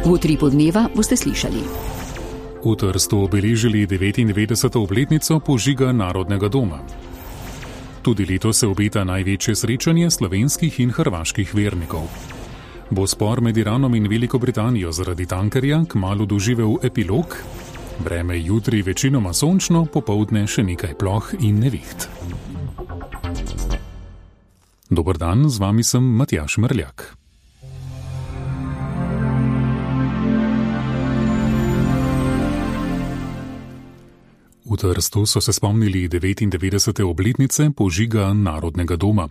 V Utripu dneva boste slišali. V Trstu obeležili 99. obletnico požiga Narodnega doma. Tudi letos se obeta največje srečanje slovenskih in hrvaških vernikov. Bo spor med Iranom in Veliko Britanijo zaradi tankerja kmalu doživel epilog? Vreme jutri večinoma sončno, popoldne še nekaj ploh in neviht. Dober dan, z vami sem Matjaž Mrljak. V Trstu so se spomnili 99. obletnice požiga Narodnega doma.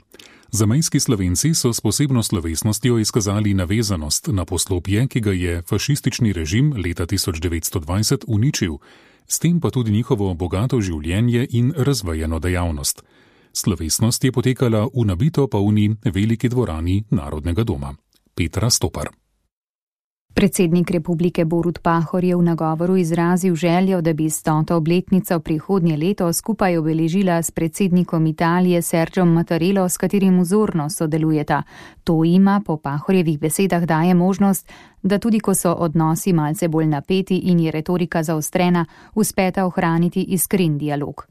Zamejski Slovenci so s posebno slovesnostjo izkazali navezanost na poslopje, ki ga je fašistični režim leta 1920 uničil, s tem pa tudi njihovo bogato življenje in razvejeno dejavnost. Slovesnost je potekala v nabito polni veliki dvorani Narodnega doma. Petra Stopar. Predsednik republike Borut Pahor je v nagovoru izrazil željo, da bi 100. obletnico prihodnje leto skupaj obeležila s predsednikom Italije Sergiom Mattarello, s katerim vzorno sodelujeta. To ima po Pahorjevih besedah daje možnost, da tudi ko so odnosi malce bolj napeti in je retorika zaostrena, uspeta ohraniti iskren dialog.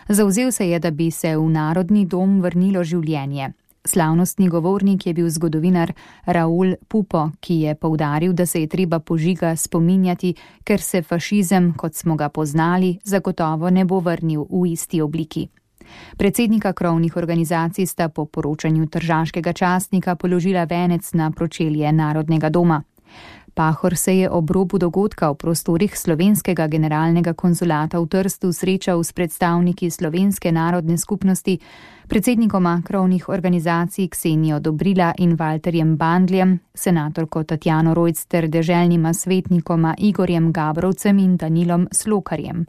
Zavzel se je, da bi se v Narodni dom vrnilo življenje. Slavnostni govornik je bil zgodovinar Raul Pupo, ki je poudaril, da se je treba požiga spominjati, ker se fašizem, kot smo ga poznali, zagotovo ne bo vrnil v isti obliki. Predsednika krovnih organizacij sta po poročanju tržaškega časnika položila venec na pročelje Narodnega doma. Pahor se je ob robu dogodka v prostorih slovenskega generalnega konzulata v Trstu srečal s predstavniki slovenske narodne skupnosti, predsednikoma krovnih organizacij Ksenijo Dobrila in Valterjem Bandljem, senatorko Tatjano Rojc ter deželnima svetnikoma Igorjem Gabrovcem in Danilom Slokarjem.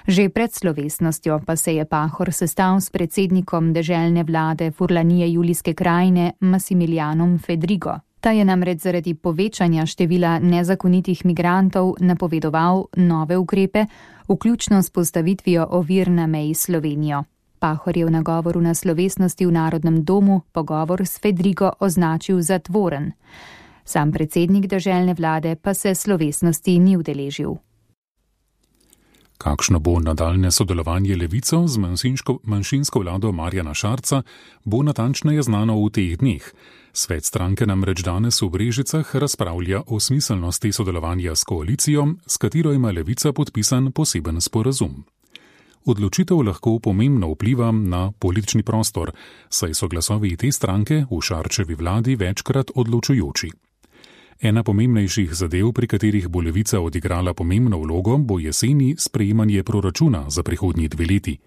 Že pred slovesnostjo pa se je Pahor sestal s predsednikom deželne vlade Furlanije Julijske krajine Massimilianom Fedrigo. Ta je namreč zaradi povečanja števila nezakonitih migrantov napovedoval nove ukrepe, vključno s postavitvijo ovir na meji s Slovenijo. Pahor je v nagovoru na slovesnosti v Narodnem domu pogovor s Fedrigo označil za tvoren. Sam predsednik deželne vlade pa se slovesnosti ni udeležil. Kakšno bo nadaljne sodelovanje Levico z manjšinsko vlado Marjana Šarca, bo natančneje znano v teh dneh. Svet stranke namreč danes v Brežicah razpravlja o smiselnosti sodelovanja s koalicijo, s katero ima Levica podpisan poseben sporazum. Odločitev lahko pomembno vpliva na politični prostor, saj so glasovi te stranke v Šarčevi vladi večkrat odločujoči. Ena pomembnejših zadev, pri katerih bo Levica odigrala pomembno vlogo, bo jeseni sprejemanje proračuna za prihodnji 2 leti.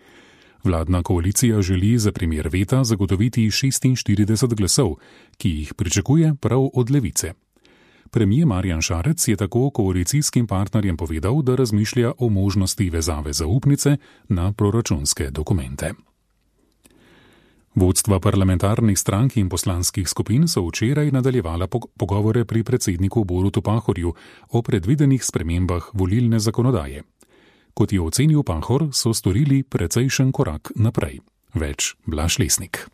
Vladna koalicija želi za primer veta zagotoviti 46 glasov, ki jih pričakuje prav od Levice. Premier Marjan Šarec je tako koalicijskim partnerjem povedal, da razmišlja o možnosti vezave zaupnice na proračunske dokumente. Vodstva parlamentarnih strank in poslanskih skupin so včeraj nadaljevala pogovore pri predsedniku Borutu Pahorju o predvidenih spremembah volilne zakonodaje. Kot je ocenil Pahor, so storili precejšen korak naprej. Več Blaž Lesnik.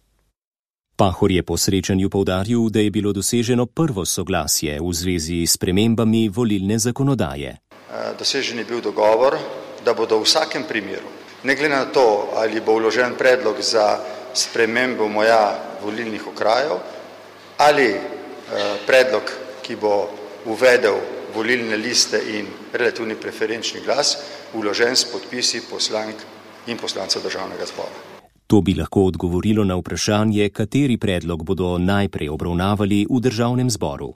Pahor je po srečanju poudaril, da je bilo doseženo prvo soglasje v zvezi s spremembami volilne zakonodaje. Dosežen je bil dogovor, da bodo v vsakem primeru, ne glede na to, ali bo vložen predlog za spremembo moja volilnih okrajev ali predlog, ki bo uvedel volilne liste in relativni preferenčni glas, vložen s podpisi poslank in poslancev Državnega zbora. To bi lahko odgovorilo na vprašanje, kateri predlog bodo najprej obravnavali v Državnem zboru.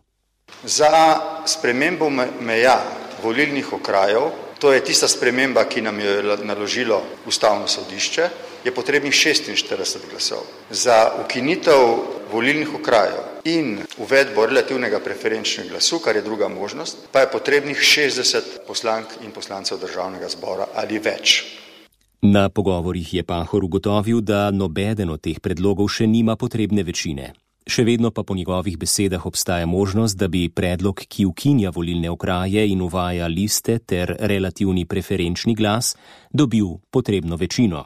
Za spremembo meja volilnih okrajev, to je tista sprememba, ki nam je naložilo Ustavno sodišče, je potrebnih 46 glasov. Za ukinitev volilnih okrajev in uvedbo relativnega preferenčnega glasu, kar je druga možnost, pa je potrebnih 60 poslank in poslancev Državnega zbora ali več. Na pogovorih je Pahor ugotovil, da nobeden od teh predlogov še nima potrebne večine. Še vedno pa po njegovih besedah obstaja možnost, da bi predlog, ki ukinja volilne okraje in uvaja liste ter relativni preferenčni glas, dobil potrebno večino.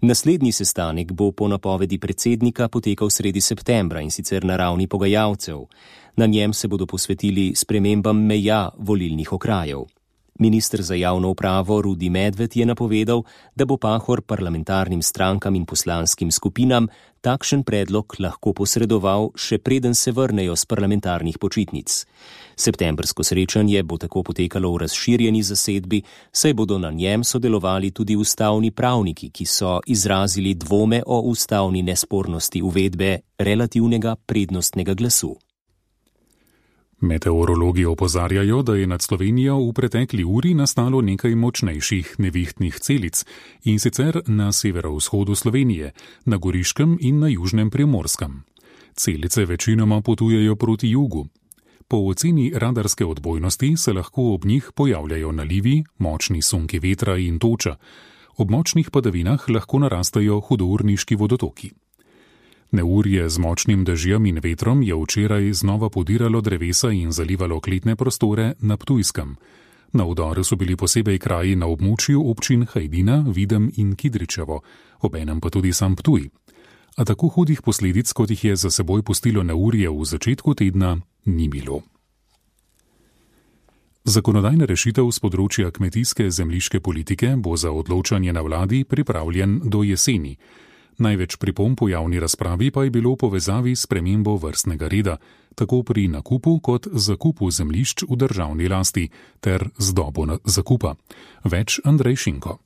Naslednji sestanek bo po napovedi predsednika potekal sredi septembra, in sicer na ravni pogajalcev. Na njem se bodo posvetili spremembam meja volilnih okrajev. Minister za javno upravo Rudi Medved je napovedal, da bo Pahor parlamentarnim strankam in poslanskim skupinam takšen predlog lahko posredoval, še preden se vrnejo z parlamentarnih počitnic. Septembrsko srečanje bo tako potekalo v razširjeni zasedbi, saj bodo na njem sodelovali tudi ustavni pravniki, ki so izrazili dvome o ustavni nespornosti uvedbe relativnega prednostnega glasu. Meteorologi opozarjajo, da je nad Slovenijo v pretekli uri nastalo nekaj močnejših nevihtnih celic, in sicer na severovzhodu Slovenije, na Goriškem in na južnem Primorskem. Celice večinoma potujejo proti jugu. Po oceni radarske odbojnosti se lahko ob njih pojavljajo nalivi, močni sunki vetra in toča. Ob močnih padavinah lahko narastajo hudourniški vodotoki. Neurje z močnim dežjem in vetrom je včeraj znova podiralo drevesa in zalivalo kletne prostore na Ptujskem. Na udaru so bili posebej kraji na območju občin Hajdina, Videm in Kidričevo, obenem pa tudi sam Ptuj. A tako hudih posledic, kot jih je za seboj pustilo neurje v začetku tedna, ni bilo. Zakonodajna rešitev z področja kmetijske zemljiške politike bo za odločanje na vladi pripravljen do jeseni. Največ pripomb v javni razpravi pa je bilo v povezavi s spremembo vrstnega reda, tako pri nakupu kot zakupu zemljišč v državni lasti ter z dobo zakupa. Več Andrej Šinko.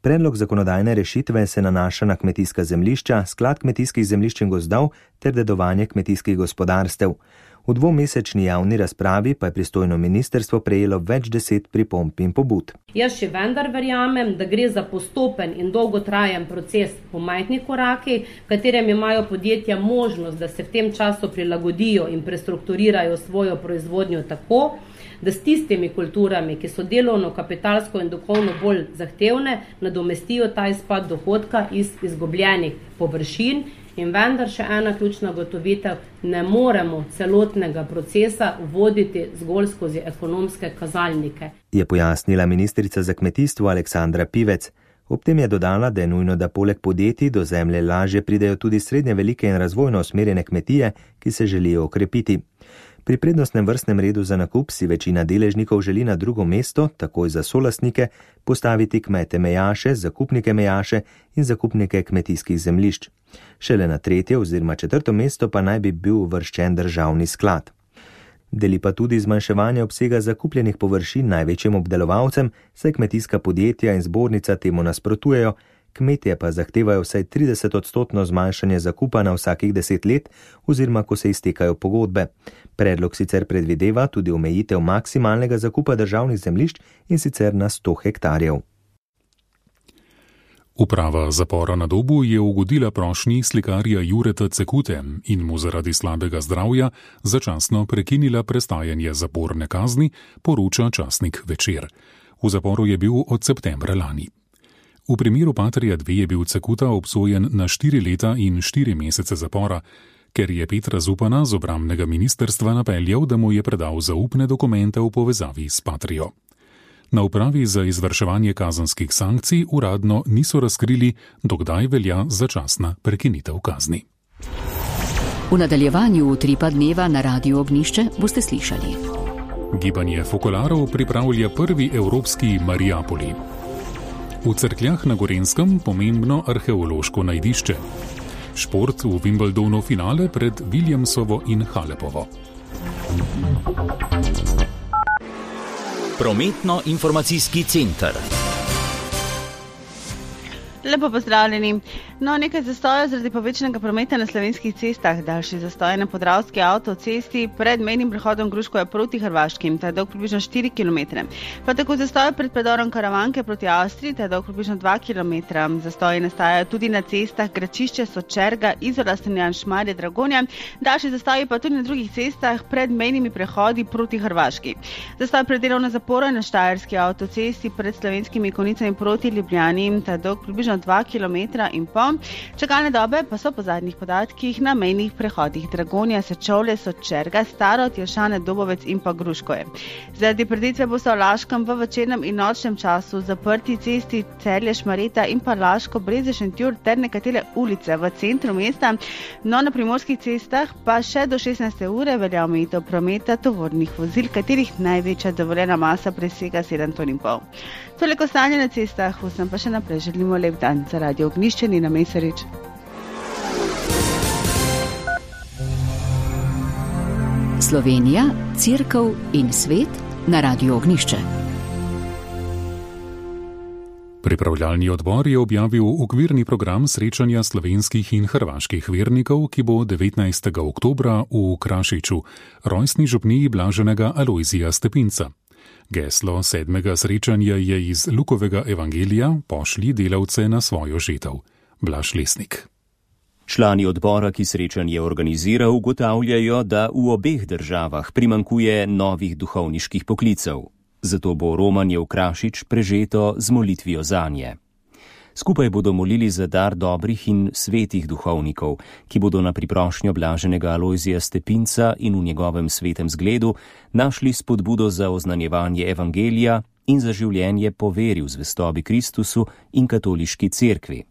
Predlog zakonodajne rešitve se nanaša na kmetijska zemljišča, sklad kmetijskih zemljišč in gozdov ter dedovanje kmetijskih gospodarstev. V dvomesečni javni razpravi pa je pristojno ministrstvo prejelo več 10 pripomb in pobud. Jaz še vendar verjamem, da gre za postopen in dolgotrajen proces po majhnih korakih, v katerem imajo podjetja možnost, da se v tem času prilagodijo in prestrukturirajo svojo proizvodnjo tako, da s tistimi kulturami, ki so delovno, kapitalsko in duhovno bolj zahtevne, nadomestijo ta izpad dohodka iz izgubljenih površin. In vendar še ena ključna ugotovitev, ne moremo celotnega procesa voditi zgolj skozi ekonomske kazalnike. Je pojasnila ministrica za kmetijstvo Aleksandra Pivec. Ob tem je dodala, da je nujno, da poleg podjetij do zemlje lažje pridejo tudi srednje velike in razvojno usmerjene kmetije, ki se želijo okrepiti. Pri prednostnem vrstnem redu za nakup si večina deležnikov želi na drugo mesto, takoj za solastnike, postaviti kmete mejaše, zakupnike mejaše in zakupnike kmetijskih zemljišč. Šele na 3. oziroma 4. mesto pa naj bi bil uvrščen državni sklad. Deli pa tudi zmanjševanje obsega zakupljenih površin največjim obdelovalcem, saj kmetijska podjetja in zbornica temu nasprotujejo, kmetje pa zahtevajo vsaj 30% zmanjšanje zakupa na vsakih 10 let oziroma ko se iztekajo pogodbe. Predlog sicer predvideva tudi omejitev maksimalnega zakupa državnih zemljišč in sicer na 100 hektarjev. Uprava zapora na Dobu je ugodila prošnji slikarja Jureta Cekute in mu zaradi slabega zdravja začasno prekinila prestajanje zaporne kazni, poroča časnik Večer. V zaporu je bil od septembra lani. V primeru Patria 2 je bil Cekuta obsojen na 4 leta in 4 mesece zapora, ker je Petra Zupana z obrambnega ministrstva napeljal, da mu je predal zaupne dokumente v povezavi s Patrijo. Na upravi za izvrševanje kazenskih sankcij uradno niso razkrili, dokdaj velja začasna prekinitev kazni. V nadaljevanju Utripa dneva na Radiu Ognjišče boste slišali. Gibanje Fokolarov pripravlja prvi evropski Mariapoli. V Cerkljah na Gorenjskem pomembno arheološko najdišče. Šport v Wimbledonu finale pred Williamsovo in Halepovo. Prometno-informacijski center. Lepo pozdravljeni. Nekaj zastojev zaradi povečanega prometa na slovenskih cestah. Daljši zastoj na Podravski avtocesti pred mejnim prehodom Gruškovja proti Hrvaški, ta je dolg približno 4 km. Pa tako zastoj pred predorom Karavanke proti Avstriji, ta je dolg približno 2 km. Zastoji nastajajo tudi na cestah Gračišče, Sočerga, Izola, Strunjan, Šmarje, Dragonja. Daljši zastoji pa tudi na drugih cestah pred mejnimi prehodi proti Hrvaški. Zastoj pred delovno zaporo na Štajerski avtocesti pred Slovenskimi Konjicami proti Ljubljani, ta je dolg približno 2 km in pol. Čakalne dobe pa so po zadnjih podatkih na mejnih prehodih Dragonja, Sečovlje, Sočerga, Starod, Jelšane, Dobovec in pa Gruškoje. Zaradi preditve bo se v Laškem v večernem in nočnem času zaprti cesti Celje, Šmareta in pa Laško, Breze, Šentjur ter nekatere ulice v centru mesta. No, na primorskih cestah pa še do 16. ure velja omejitev prometa tovornih vozil, katerih največja dovoljena masa presega 7,5 ton. Toliko stanje na cestah, vsem pa še naprej želimo lep dan. Za Radio Ognjišče Nina Mesarič. Slovenija, Cerkev in svet na Radio Ognjišče. Pripravljalni odbor je objavil okvirni program srečanja slovenskih in hrvaških vernikov, ki bo 19. oktobra v Krašiču, rojstni župniji blaženega Alojzija Stepinca. Geslo 7. srečanja je iz Lukovega evangelija Pošlji delavce na svojo žetev. Blaž Lesnik. Člani odbora, ki srečanje organizira, ugotavljajo, da v obeh državah primanjkuje novih duhovniških poklicev. Zato bo romanje v Krašič prežeto z molitvijo zanje. Skupaj bodo molili za dar dobrih in svetih duhovnikov, ki bodo na priprošnjo blaženega Alojzija Stepinca in v njegovem svetem zgledu našli spodbudo za oznanjevanje evangelija in za življenje po veri v zvestobi Kristusu in katoliški cerkvi.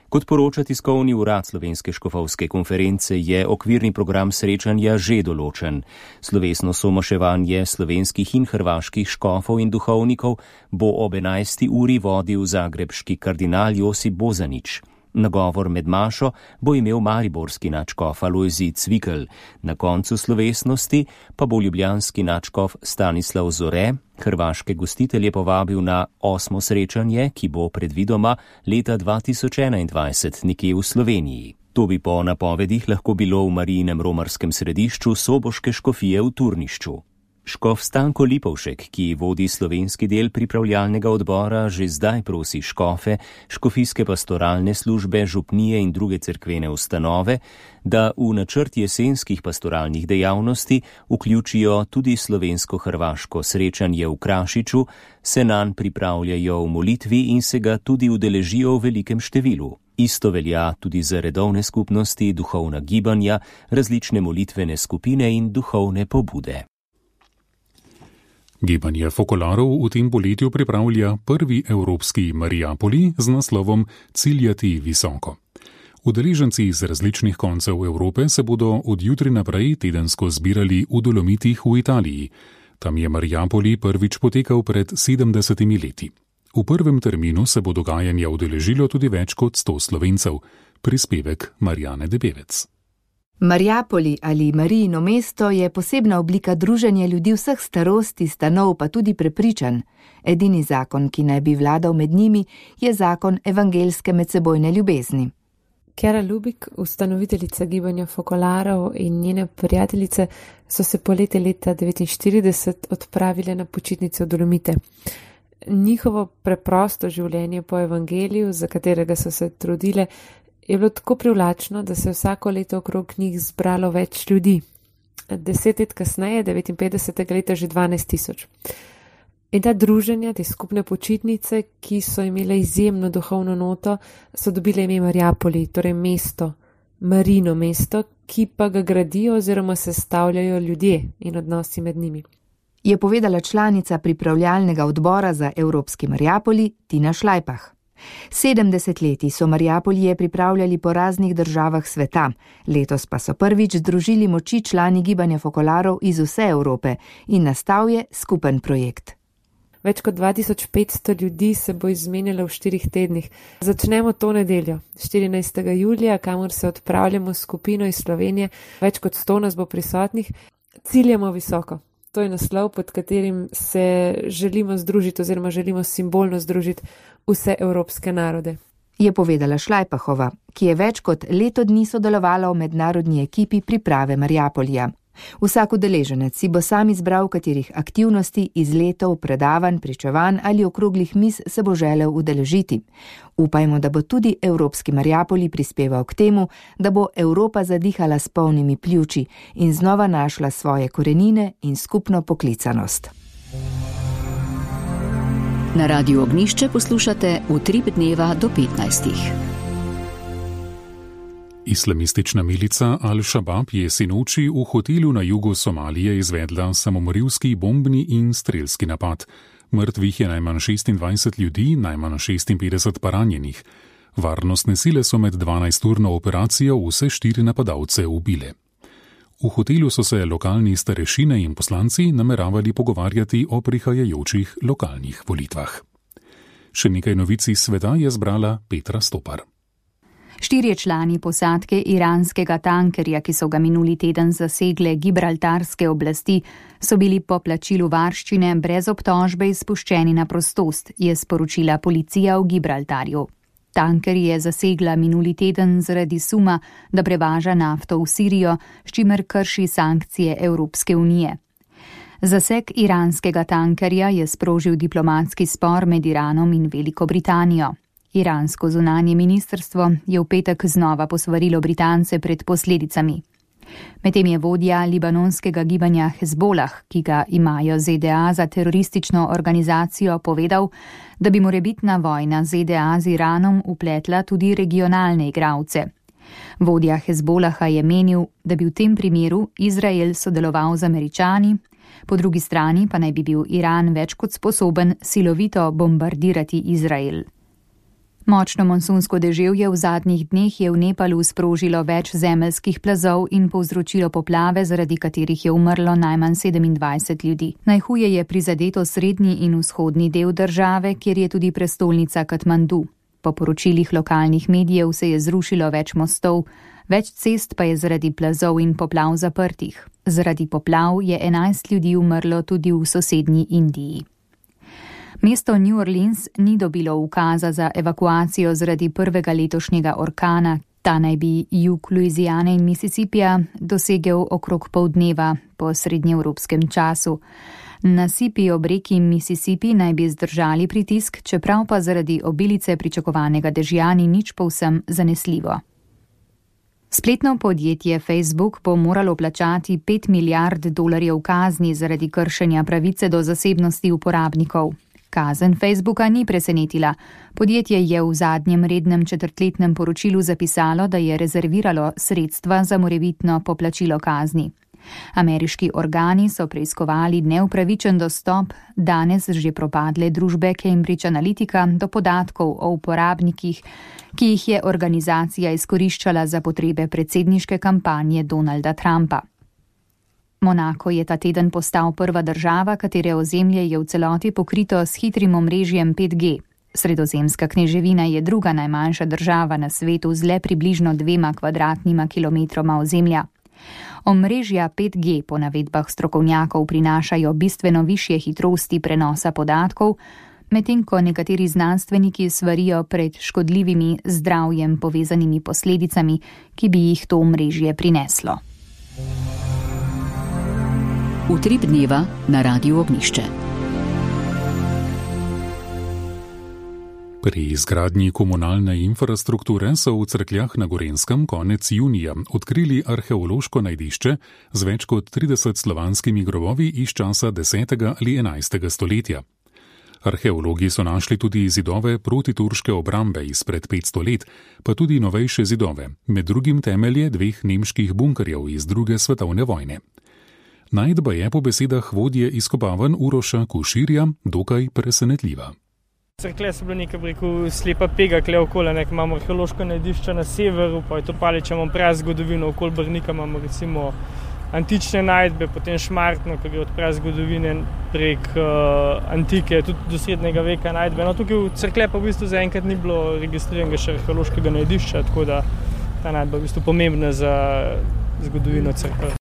Kot poroča tiskovni urad Slovenske škofovske konference, je okvirni program srečanja že določen. Slovesno somaševanje slovenskih in hrvaških škofov in duhovnikov bo ob 11. uri vodil zagrebški kardinal Josip Bozanić. Nagovor med mašo bo imel mariborski nadškof Alojzij Cvikl. Na koncu slovesnosti pa bo ljubljanski nadškof Stanislav Zore hrvaške gostitelje povabil na 8. srečanje, ki bo predvidoma leta 2021 nekje v Sloveniji. To bi po napovedih lahko bilo v Marijinem romarskem središču Soboške škofije v Turnišču. Škof Stanko Lipovšek, ki vodi slovenski del pripravljalnega odbora, že zdaj prosi škofe, škofijske pastoralne službe, župnije in druge cerkvene ustanove, da v načrt jesenskih pastoralnih dejavnosti vključijo tudi slovensko-hrvaško srečanje v Krašiču, se nanj pripravljajo v molitvi in se ga tudi udeležijo v velikem številu. Isto velja tudi za redovne skupnosti, duhovna gibanja, različne molitvene skupine in duhovne pobude. Gibanje fokolarov v tem poletju pripravlja prvi evropski Mariapoli z naslovom Ciljati visoko. Udeleženci iz različnih koncev Evrope se bodo od jutri naprej tedensko zbirali v Dolomitih v Italiji. Tam je Mariapoli prvič potekal pred 70 leti. V prvem terminu se bo dogajanja udeležilo tudi več kot 100 Slovencev. Prispevek Marjane Debevec. Mariapoli ali Marijino mesto je posebna oblika druženja ljudi vseh starosti, stanov pa tudi prepričanj. Edini zakon, ki naj bi vladal med njimi, je zakon evangelske medsebojne ljubezni. Kjara Lubik, ustanoviteljica gibanja fokolarov in njene prijateljice, so se poleti leta 1949 odpravile na počitnice v Dolomite. Njihovo preprosto življenje po evangeliju, za katerega so se trudile, je bilo tako privlačno, da se vsako leto okrog njih zbralo več ljudi. 10 let kasneje, 59. leta, že 12 000. In ta druženja, te skupne počitnice, ki so imele izjemno duhovno noto, so dobile ime Mariapoli, torej mesto, Marino mesto, ki pa ga gradijo oziroma sestavljajo ljudje in odnosi med njimi. Je povedala članica pripravljalnega odbora za Evropski Mariapoli Tina Šlajpah. 70 leti so Mariapolije pripravljali po raznih državah sveta, letos pa so prvič združili moči člani gibanja fokolarov iz vse Evrope in nastal je skupen projekt. Več kot 2500 ljudi se bo izmenjalo v 4 tednih. Začnemo to nedeljo, 14. julija, kamor se odpravljamo s skupino iz Slovenije, več kot 100 nas bo prisotnih, ciljamo visoko. To je naslov, pod katerim se želimo združiti oziroma želimo simbolno združiti vse evropske narode. Je povedala Šlajpahova, ki je več kot leto dni sodelovala v mednarodni ekipi priprave Mariapolija. Vsak udeleženec si bo sam izbral, katerih aktivnosti, izletov, predavanj, pričevanj ali okroglih miz se bo želel udeležiti. Upajmo, da bo tudi Evropski Mariapoli prispeval k temu, da bo Evropa zadihala s polnimi pljuči in znova našla svoje korenine in skupno poklicanost. Na Radiu Ognjišče poslušate Utrip dneva do 15. Islamistična milica Al-Shabaab je sinoči v hotelu na jugu Somalije izvedla samomorilski bombni in strelski napad. Mrtvih je najmanj 26 ljudi, najmanj 56 pa ranjenih. Varnostne sile so med 12-urno operacijo vse 4 napadalce ubile. V hotelu so se lokalni starešine in poslanci nameravali pogovarjati o prihajajočih lokalnih volitvah. Še nekaj novic iz sveta je zbrala Petra Stopar. 4 člani posadke iranskega tankerja, ki so ga minuli teden zasegle gibraltarske oblasti, so bili po plačilu varščine brez obtožbe izpuščeni na prostost, je sporočila policija v Gibraltarju. Tanker je zasegla minuli teden zaradi suma, da prevaža nafto v Sirijo, s čimer krši sankcije Evropske unije. Zaseg iranskega tankerja je sprožil diplomatski spor med Iranom in Veliko Britanijo. Iransko zunanje ministrstvo je v petek znova posvarilo Britance pred posledicami. Medtem je vodja libanonskega gibanja Hezbolah, ki ga imajo ZDA za teroristično organizacijo, povedal, da bi morebitna vojna ZDA z Iranom upletla tudi regionalne igralce. Vodja Hezbolaha je menil, da bi v tem primeru Izrael sodeloval z Američani, po drugi strani pa naj bi bil Iran več kot sposoben silovito bombardirati Izrael. Močno monsunsko deževje v zadnjih dneh je v Nepalu sprožilo več zemeljskih plazov in povzročilo poplave, zaradi katerih je umrlo najmanj 27 ljudi. Najhuje je prizadeto srednji in vzhodni del države, kjer je tudi prestolnica Katmandu. Po poročilih lokalnih medijev se je zrušilo več mostov, več cest pa je zaradi plazov in poplav zaprtih. Zaradi poplav je 11 ljudi umrlo tudi v sosednji Indiji. Mesto New Orleans ni dobilo ukaza za evakuacijo zaradi prvega letošnjega orkana. Ta naj bi jug Louisiane in Mississippija dosegel okrog pol dneva po srednjeevropskem času. Nasipi ob reki Mississippi naj bi zdržali pritisk, čeprav pa zaradi obilice pričakovanega dežja ni nič povsem zanesljivo. Spletno podjetje Facebook bo moralo plačati $5 milijard kazni zaradi kršenja pravice do zasebnosti uporabnikov. Kazen Facebooka ni presenetila. Podjetje je v zadnjem rednem četrtletnem poročilu zapisalo, da je rezerviralo sredstva za morebitno poplačilo kazni. Ameriški organi so preiskovali neupravičen dostop danes že propadle družbe Cambridge Analytica do podatkov o uporabnikih, ki jih je organizacija izkoriščala za potrebe predsedniške kampanje Donalda Trumpa. Monako je ta teden postal prva država, katere ozemlje je v celoti pokrito s hitrim omrežjem 5G. Sredozemska kneževina je druga najmanjša država na svetu z le približno 2 kvadratnima kilometroma ozemlja. Omrežja 5G po navedbah strokovnjakov prinašajo bistveno višje hitrosti prenosa podatkov, medtem ko nekateri znanstveniki svarijo pred škodljivimi zdravjem povezanimi posledicami, ki bi jih to omrežje prineslo. Utrip dneva na Radiu Ognjišče. Pri izgradnji komunalne infrastrukture so v Cerkljah na Gorenjskem konec junija odkrili arheološko najdišče z več kot 30 slovanskimi grobovi iz časa 10. ali 11. stoletja. Arheologi so našli tudi zidove protiturške obrambe izpred 500 let, pa tudi novejše zidove, med drugim temelje 2 nemških bunkerjev iz 2. svetovne vojne. Najdba je po besedah vodje izkopavanj Uroša Koširja dokaj presenetljiva. Cerklje so bile nekaj slepa pega, kle okoli, imamo arheološko najdišče na severu, pa je to Palič, imamo prazgodovino, okoli Brnika imamo recimo antične najdbe, potem Šmartno, ki gre od prazgodovine prek antike, tudi do srednjega veka najdbe. No, tukaj v Cerklje pa v bistvu zaenkrat ni bilo registriranega še arheološkega najdišča, tako da ta najdba je v bistvu pomembna za zgodovino Cerkelj.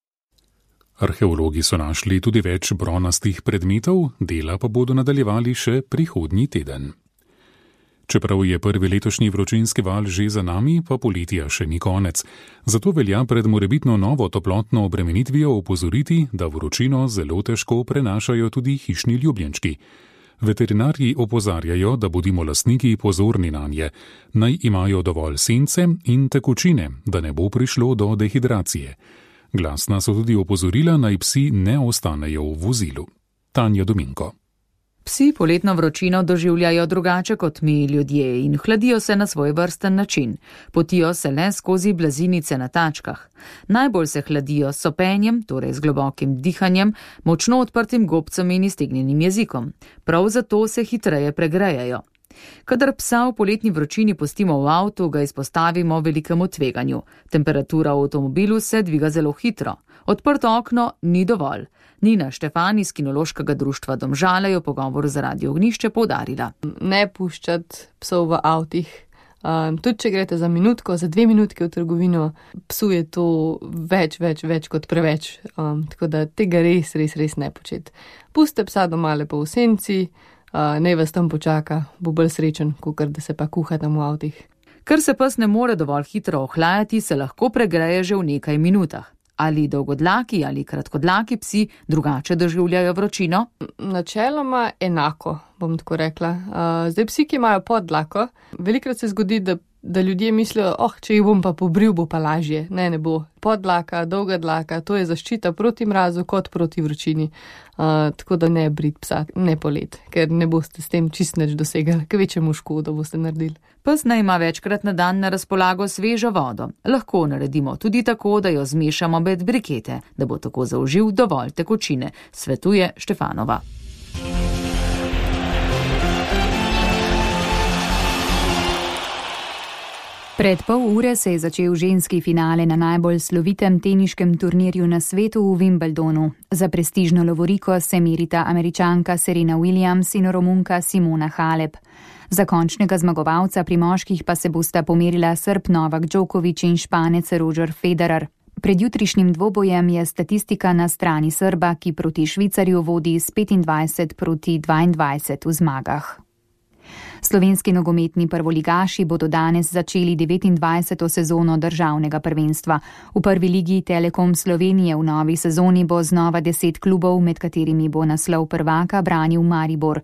Arheologi so našli tudi več bronastih predmetov, dela pa bodo nadaljevali še prihodnji teden. Čeprav je prvi letošnji vročinski val že za nami, pa poletja še ni konec. Zato velja pred morebitno novo toplotno obremenitvijo opozoriti, da vročino zelo težko prenašajo tudi hišni ljubljenčki. Veterinarji opozarjajo, da bodimo lastniki pozorni nanje, naj imajo dovolj sence in tekočine, da ne bo prišlo do dehidracije. Glasna so tudi opozorila, naj psi ne ostanejo v vozilu. Tanja Dominko. Psi poletno vročino doživljajo drugače kot mi ljudje in hladijo se na svoj vrsten način. Potijo se le skozi blazinice na tačkah. Najbolj se hladijo s sopenjem, torej z globokim dihanjem, močno odprtim gobcem in iztegnjenim jezikom. Prav zato se hitreje pregrejejo. Kadar psa v poletni vročini pustimo v avtu, ga izpostavimo velikemu tveganju. Temperatura v avtomobilu se dviga zelo hitro. Odprto okno ni dovolj. Nina Štefan iz Kinološkega društva Domžale je v pogovoru za Radio Ognjišče poudarila. Ne puščati psov v avtih. Tudi če greste za minutko, za 2 minutke v trgovino, psu je to več kot preveč. Tako da tega res ne početi. Puste psa doma lepo v senci, naj vas tam počaka, bo bolj srečen, kakor da se pa kuha tam v avtih. Ker se pes ne more dovolj hitro ohlajati, se lahko pregreje že v nekaj minutah. Ali dolgodlaki ali kratkodlaki psi drugače doživljajo vročino? Načeloma enako, bom tako rekla. Zdaj psi, ki imajo poddlako, velikokrat se zgodi, da ljudje mislijo, če jih bom pa pobril, bo pa lažje. Ne bo. Poddlaka, dolga dlaka, to je zaščita proti mrazu kot proti vročini. Tako da ne brit psa, ne polet, ker ne boste s tem čist nič dosegali, kvečemu škodo boste naredili. Pes naj ima večkrat na dan na razpolago svežo vodo. Lahko naredimo tudi tako, da jo zmešamo med brikete, da bo tako zaužil dovolj tekočine, svetuje Štefanova. Pred pol ure se je začel ženski finale na najbolj slovitem teniškem turnirju na svetu v Wimbledonu. Za prestižno lovoriko se merita Američanka Serena Williams in Romunka Simona Halep. Za končnega zmagovalca pri moških pa se bosta pomerila Srb Novak Djokovic in Španec Roger Federer. Pred jutrišnjim dvobojem je statistika na strani Srba, ki proti Švicarju vodi s 25-22 v zmagah. Slovenski nogometni prvoligaši bodo danes začeli 29. sezono državnega prvenstva. V prvi ligi Telekom Slovenije v novi sezoni bo znova 10 klubov, med katerimi bo naslov prvaka branil Maribor.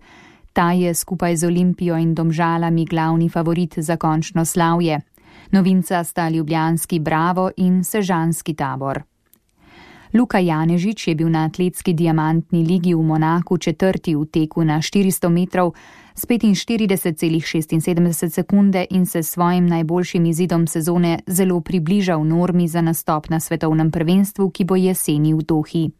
Ta je skupaj z Olimpijo in Domžalami glavni favorit za končno slavje. Novinca sta ljubljanski Bravo in sežanski Tabor. Luka Janežič je bil na atletski diamantni ligi v Monaku četrti v teku na 400 metrov s 45,76 sekunde in se svojim najboljšim izidom sezone zelo približal normi za nastop na svetovnem prvenstvu, ki bo jeseni v Dohi.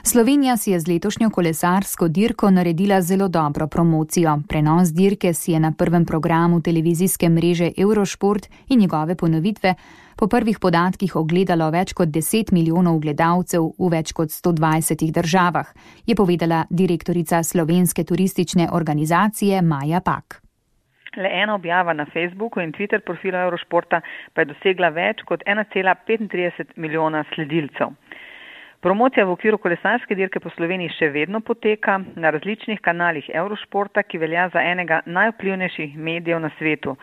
Slovenija si je z letošnjo kolesarsko dirko naredila zelo dobro promocijo. Prenos dirke si je na prvem programu televizijske mreže Eurošport in njegove ponovitve po prvih podatkih ogledalo več kot 10 milijonov gledalcev v več kot 120 državah, je povedala direktorica slovenske turistične organizacije Maja Pak. Le ena objava na Facebooku in Twitter profilu Eurošporta pa je dosegla več kot 1,35 milijona sledilcev. Promocija v okviru kolesarske dirke po Sloveniji še vedno poteka na različnih kanalih Eurošporta, ki velja za enega najvplivnejših medijev na svetu.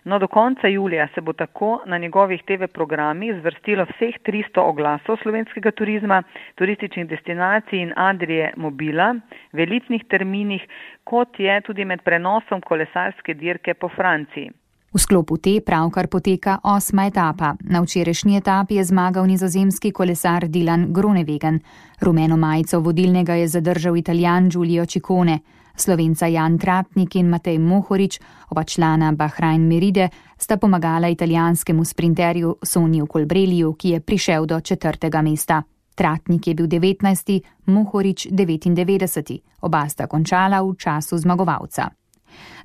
No, do konca julija se bo tako na njegovih TV programih zvrstilo vseh 300 oglasov slovenskega turizma, turističnih destinacij in Adrie Mobila v elitnih terminih, kot je tudi med prenosom kolesarske dirke po Franciji. V sklopu te pravkar poteka 8. etapa. Na včerajšnji etapi je zmagal nizozemski kolesar Dylan Groenewegen. Rumeno majico vodilnega je zadržal Italijan Giulio Ciccone. Slovenca Jan Tratnik in Matej Mohorič, oba člana Bahrain Meride, sta pomagala italijanskemu sprinterju Soniju Colbrelliju, ki je prišel do 4. mesta. Tratnik je bil 19., Mohorič 99. Oba sta končala v času zmagovalca.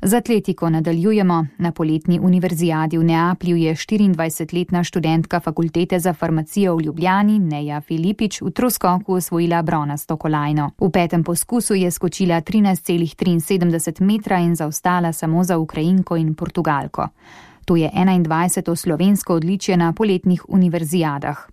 Z atletiko nadaljujemo. Na poletni univerzijadi v Neaplju je 24-letna študentka fakultete za farmacijo v Ljubljani, Neja Filipič, v troskoku osvojila bronasto kolajno. V 5. poskusu je skočila 13,73 metra in zaostala samo za Ukrajinko in Portugalko. To je 21. slovensko odličje na poletnih univerzijadah.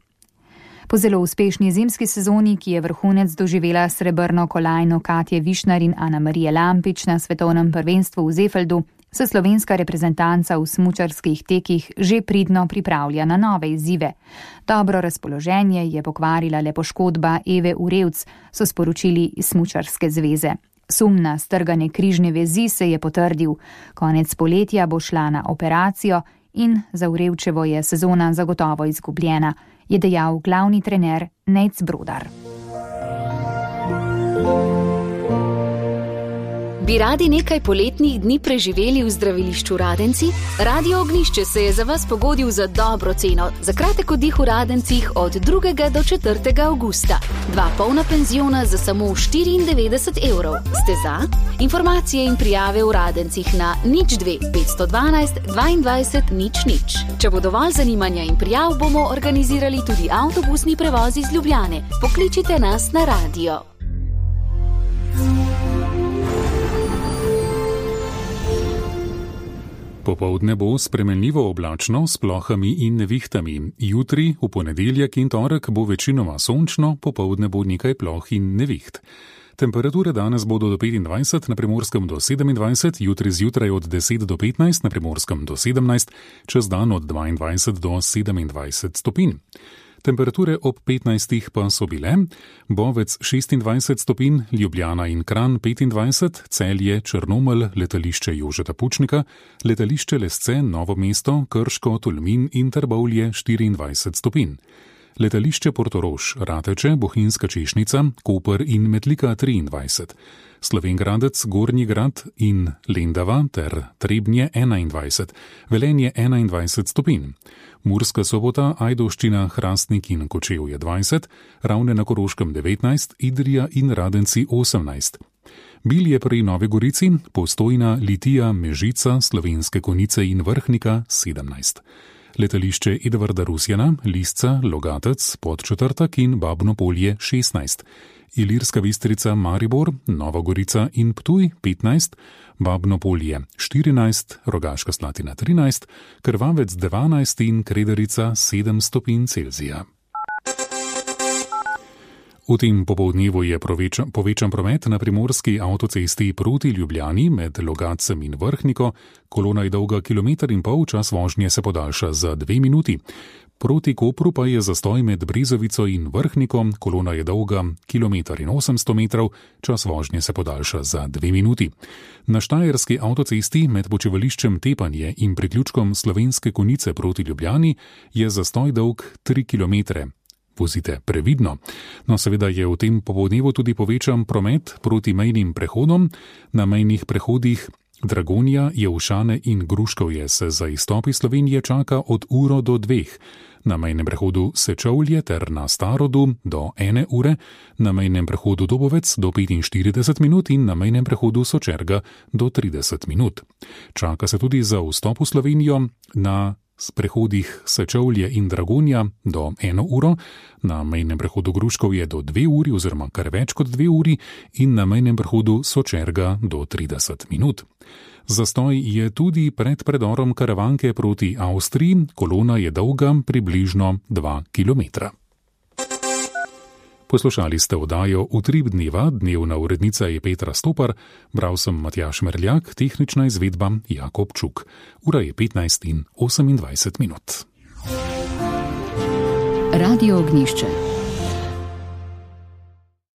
Po zelo uspešni zimski sezoni, ki je vrhunec doživela srebrno kolajno Katje Višnar in Ana Marije Lampič na svetovnem prvenstvu v Zefeldu, se slovenska reprezentanca v smučarskih tekih že pridno pripravlja na nove izzive. Dobro razpoloženje je pokvarila le poškodba Eve Urevc, so sporočili iz Smučarske zveze. Sum na strgane križne vezi se je potrdil. Konec poletja bo šla na operacijo in za Urevčevo je sezona zagotovo izgubljena, je dejal glavni trener Nejc Brodar. Bi radi nekaj poletnih dni preživeli v zdravilišču Radenci? Radio Ognjišče se je za vas pogodil za dobro ceno. Za kratek oddih v Radencih od 2. do 4. avgusta. 2 polna penziona za samo 94 €. Ste za? Informacije in prijave v Radencih na 02 512 22 00. Če bo dovolj zanimanja in prijav, bomo organizirali tudi avtobusni prevoz iz Ljubljane. Pokličite nas na radio. Popoldne bo spremenljivo oblačno s plohami in nevihtami. Jutri, v ponedeljek in torek bo večinoma sončno, popoldne bo nekaj ploh in neviht. Temperature danes bodo do 25, na Primorskem do 27, jutri zjutraj od 10 do 15, na Primorskem do 17, čez dan od 22 do 27 stopinj. Temperature ob 15 pa so bile: Bovec 26 stopinj, Ljubljana in Kranj 25, Celje, Črnomelj, letališče Jožeta Pučnika, letališče Lesce, Novo mesto, Krško, Tolmin in Trbovlje 24 stopinj. Letališče Portorož, Rateče, Bohinjska Češnica, Koper in Metlika 23, Slovenjgradec, Gornji Grad in Lendava ter Trebnje 21, Velenje 21 stopinj. Murska Sobota, Ajdovščina, Hrastnik in Kočevje 20, Ravne na Koroškem 19, Idrija in Radenci 18. Bilje pri Novi Gorici, Postojna, Litija, Mežica, Slovenske Konjice in Vrhnika 17. Letališče Edvarda Rusjana, Lisca, Logatec, Podčetrtek in Babno Polje 16. Ilirska Bistrica, Maribor, Nova Gorica in Ptuj 15, Babno Polje 14, Rogaška Slatina 13, Krvavec 12 in Krederica 7 stopinj Celzija. V tem popoldnevu je povečan promet na primorski avtocesti proti Ljubljani med Logatcem in Vrhniko. Kolona je dolga 1,5 km, čas vožnje se podaljša za 2 minuti. Proti Kopru pa je zastoj med Brezovico in Vrhniko, kolona je dolga 1,8 km, čas vožnje se podaljša za 2 minuti. Na štajerski avtocesti med počivališčem Tepanje in priključkom Slovenske Konjice proti Ljubljani je zastoj dolg 3 km. Vozite previdno. No, seveda je v tem popoldnevu tudi povečan promet proti mejnim prehodom. Na mejnih prehodih Dragonja, Jevšane in Gruškovje se za izstop iz Slovenije čaka od uro do 2. Na mejnem prehodu Sečovlje ter na Starodu do 1 ure, na mejnem prehodu Dobovec do 45 minut in na mejnem prehodu Sočerga do 30 minut. Čaka se tudi za vstop v Slovenijo na prehodih Sečovlje in Dragonja do 1 uro, na mejnem prehodu Gruškovje do 2 uri oziroma kar več kot 2 uri in na mejnem prehodu Sočerga do 30 minut. Zastoj je tudi pred predorom Karavanke proti Avstriji, kolona je dolga približno 2 km. Poslušali ste oddajo Utrip dneva, dnevna urednica je Petra Stopar, bral sem Matjaž Merljak, tehnična izvedba Jakob Čuk. Ura je 15:28. Radio Ognjišče.